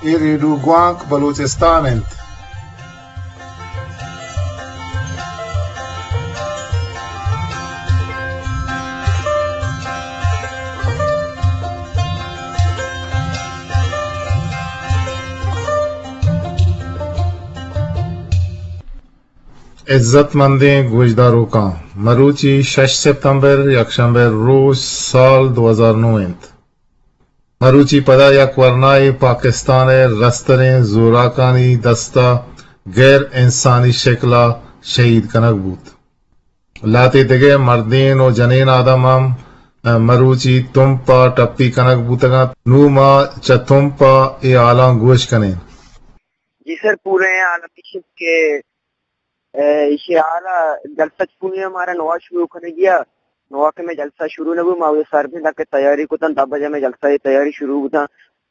اے ریڈیو گوانک بلوچستان انت۔ عزت مندیں گوشداروکاں، مروچی شش ستمبر، یکشنبہ روچ، سال دو ہزار نو انت۔ مروچی پدا یک ورنائے پاکستان ءِ رستریں زوراکانی دستا غیر انسانی شکلا شہید کنگ بوت۔ لہتے دگہ مردین و جنین آدم ہم مروچی تمپا ٹپی کنگ بوتگ انت۔ نوں ما چہ تمپا اے حالاں گوش کنیں۔ جی سر، پورے حال ہمیش انت کہ اے، ایشی حالا جلسہ چونی ہمارا نوا شروع کنگی ءَ۔ نوا کہ میں جلسہ شروع نہ بو، ما وہ سر بھی تک تیاری کتن، دہ بجے میں جلسہ ءِ تیاری شروع کتن۔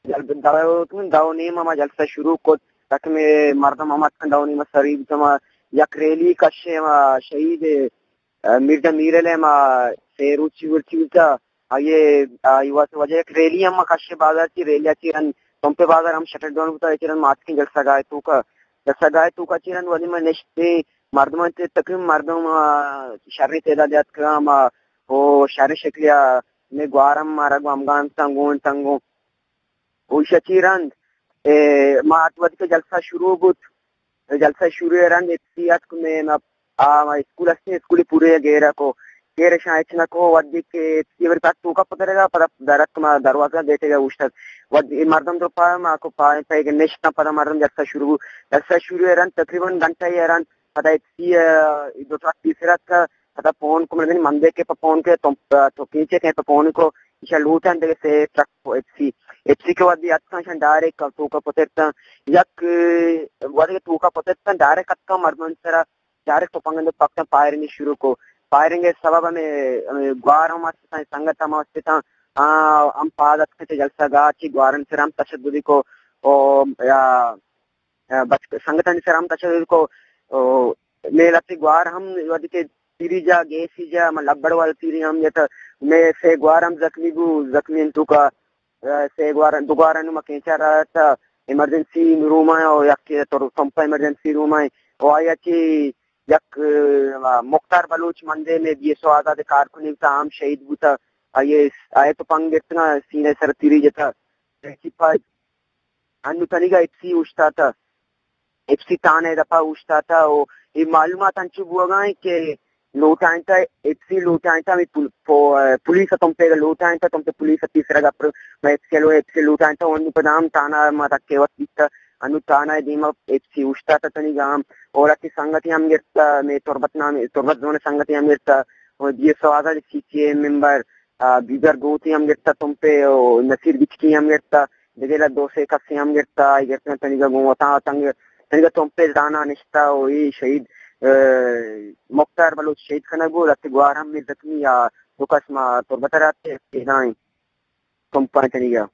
جل-، دہ، دہ و نیم ما جلسہ شروع کت، تک میں مردم ہم اتکن دہ و نیم سری بوتن۔ ما یک ریلی کشے، ما شہید، اے، مرزا میر علی ما سے روچی ورچی بوتا۔ آئی، آئی واسطہ وجہ یک ریلی ہم کشے بازار چی، ریلی چی رند تمپے بازار ہم شٹر ڈاؤن بوتا، چی رند ماتکیں جلسہ گاہ توکا، جلسہ گاہ توکا چی رند ولی ما نشتے مردمان تے تقریباً مردم، آ، شریں تعداد اتکا ما او شریں شکلیا میں گوارم مارا گو ہمگان تنگون تنگون۔ او ایشی چی رند، اے، ما ات وھدی کہ جلسہ شروع بوت، جلسہ شروع ءِ رند ایف سی اتک میں، ما، آ، ما اسکول ہستیں، اسکول پورے گیرا کو، گیرا شاں اچ نہ کو، وھدی کہ ایف سی ور پاس توکا پترگا، پدا در اتک ما دروازہ گیٹے گا اوشتگ۔ وھدی مردم درو پا، ما کو پا، پہ نشتاں پدا مردم جلسہ شروع بوت۔ جلسہ شروع ءِ رند تقریباً گھنٹہ ءِ رند پدا ایف سی، آ، دو ترک پیسر اتک، پدا فون کو، من من دیکھے پہ فون کے، تو، تو کیچے کے پہ فون کو، ایشاں لوٹاں دگہ سے ٹرک ایف سی، ایف سی کہ وھدی اتکاں ایشاں ڈائریکٹ توکا پترتاں۔ یک، اے، وھدی توکا پترتاں، ڈائریکٹ اتکاں مردمانی سرا، ڈائریکٹ تپنگ اندر پکتاں، فائرنگ شروع کو۔ فائرنگ ءِ سبب ہمیں، ہمیں گوار ہم استاں، سنگت ہم استاں، آ، ہم پاد اتکاں چہ جلسہ گاہ چی، گوارن سرا ہم تشددی کو، او، یا، آ، بچ-، سنگتانی سرا ہم تشدد کو، او، میلتی گوار ہم وھدی کہ تیری جا، گیسی جا، من لبڑ والا تیری ہم جتا، میں سے گوار ہم زخمی بو، زخمی انتو کا، آ، سے گوار، دو گوار انو ما کینچا رہا تھا، ایمرجنسی روم آئے، او یک تو تمپا ایمرجنسی روم آئے، او آیا چی یک، آ، مختار بلوچ مندے میں بی ایس او آزاد کارکنی تا ہم شہید بوتا، آئیے، آئے تو پنگ گرتنا سینے سر تیری جتا، چی پا انو تنیگا ایف سی اوشتاتا، ایف سی تھانہ ءِ دپا اوشتاتا، او اے معلومات انچو بوگا انت کہ لوٹائینتا، ایف سی لوٹائینتا، ہمے پول-، پو-، پولیس ءَ تمپیگا لوٹائینتا، تمپے پولیس ءَ پیسرا گپر، ما ایف سی لو-، ایف سی لوٹائینتا، او انو پدا ہم تھانہ ءَ ما تکے وت بیتا، انو تھانہ ءِ دیما ایف سی اوشتاتا تنیگا ہم، او لہتے سنگتے ہم گرتا، مے تربت نام، تربت زون سنگتے ہم گرتا، او بی ایس او آزاد سی سی اے ممبر، آ، بیبر گوتی ہم گرتا تمپے، او نصیر بچکی ہم گرتا، دگہ دو سے کسے ہم گرتا، آئی گرتگ تنیگا گوں وتاں تنگ، تنیگا تمپے زانا نشتا و اے شہید، اے، مختار بلوچ شہید کنگ بو، لہتے گوار ہم زخمی یا دو کس ما تربت رہتے پیدائیں تمپا تنیگا۔